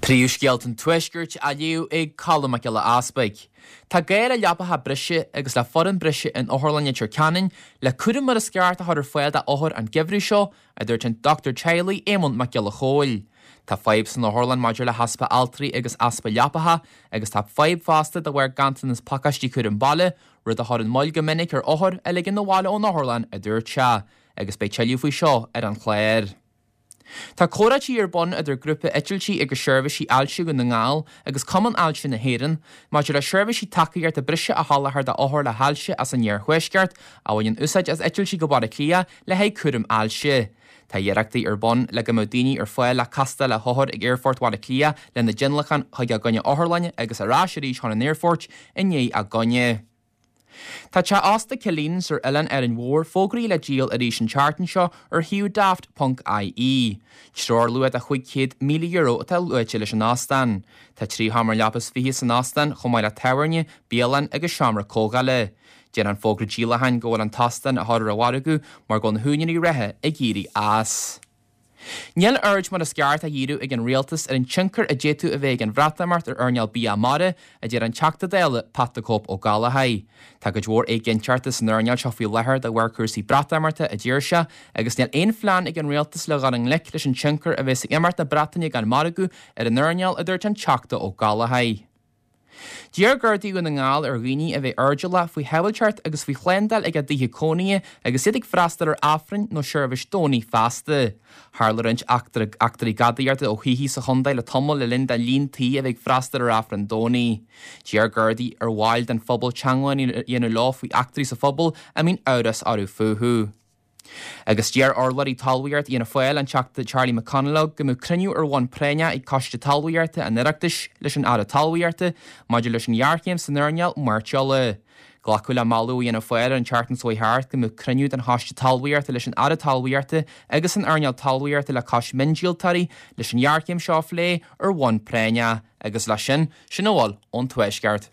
Príomhscéalta an Tuaiscirt á léamh ag Colm Mac Giolla Easpaig. Tá gá le leapacha breise agus le foireann breise in Otharlann Leitir Ceanainn le cúram mar is ceart a chur ar fáil d'othair an geimhreadh seo, a dúirt an dochtúir teaghlaigh Éamonn Mac Giolla Chóill. Tá fadhb san otharlann maidir le heaspa altraí agus easpa leapacha agus tá fadhb fosta de bharr ganntanas pacáistí cúram baile, rud a chuireann moill go minic ar othair a ligean abhaile ón otharlann, a dúirt sé, agus beidh tuilleadh faoi seo ar an chlár. Tá comhráití ar bun idir Grúpa Eitiltí agus Seirbhísí Ailse Dhún na nGall agus Cumann Ailse na hÉireann maidir le seirbhísí tacaíochta breise a sholáthar d'othair le hailse as an iarthuaisceart a bhaineann úsáid as eitiltí go Baile Átha Cliath le haghaidh cúram ailse. Tá iarrachtaí ar bun le go mbeadh daoine ar fáil le castáil le hothair ag Aerfort Bhaile Átha Cliath lena dtionlacan chuig a gcoinne otharlainne agus ar ais arís chun an aerfoirt i ndiaidh a gcoinne. Tá teach ósta Killeen's ar Oileán Árainn Mhór fógraithe le díol arís an tseachtain seo ar shuíomh Daft ponc IE. Treoirluach de €500,000 atá luaite leis an óstán. Tá trí sheomra leapa is fiche san óstán chomh maith le tábhairne, bialann agus seomra comhdhála. Deir an fógra díolacháin go bhfuil an t-óstán á chur ar an mhargadh mar go bhfuil na húinéirí reatha ag éirí as. Níl aird mar is ceart á dhíriú ag an rialtas ar an tionchar a d'fhéadfadh a bheith ag an Bhreatimeacht ar earnáil bia mara, a deir an Teachta Dála Pat the Cope Ó Gallchóir. Tá cuid mhór éiginnteachta san earnáil seo faoi láthair de bharr cúrsaí Breatimeachta, a deir sé, agus níl aon phlean ag an rialtas le dhul i ngleic leis an tionchar a bheas ag imeacht na Breataine gan margadh ar an earnáil, a dúirt an Teachta Ó Gallchóir. D'iarr Gardaí Dhún na nGall ar dhaoine a bheith airdeallach faoi shábháilteacht agus faoi shlándáil ag a dtithe cónaithe agus iad ag freastal ar Aifrinn nó seirbhís Domhnaigh feasta. Tharla roinnt eachtraí gadaíochta ó thithe sa chontae le tamall le linn do líon tí a bheith ag freastal ar Aifreann Domhnaigh. D'iarr Gardaí ar bhaill den phobal teagmháil a dhéanamh leo faoi eachtraí sa phobal a mbíonn amhras orthu fúthu. Agus d'iarr urlabhraí talmhaíochta Fhianna Fáil, an Teachta Charlie McConalogue, go mbeadh cruinniú ar bhonn práinneach ag Coiste Talmhaíochta an Oireachtais leis an Aire Talmhaíochta maidir leis an ghéarchéim san earnáil mairteola. Glacadh le moladh ó Fhianna Fáil an tseachtain seo chuaigh thart go mbeadh cruinniú den Choiste Talmhaíochta leis an Aire Talmhaíochta agus an earnáil talmhaíochta le cois miondíoltóirí leis an ghéarchéim seo a phlé ar bhonn práinneach. Agus leis sin, sin a bhfuil ón Tuaisceart.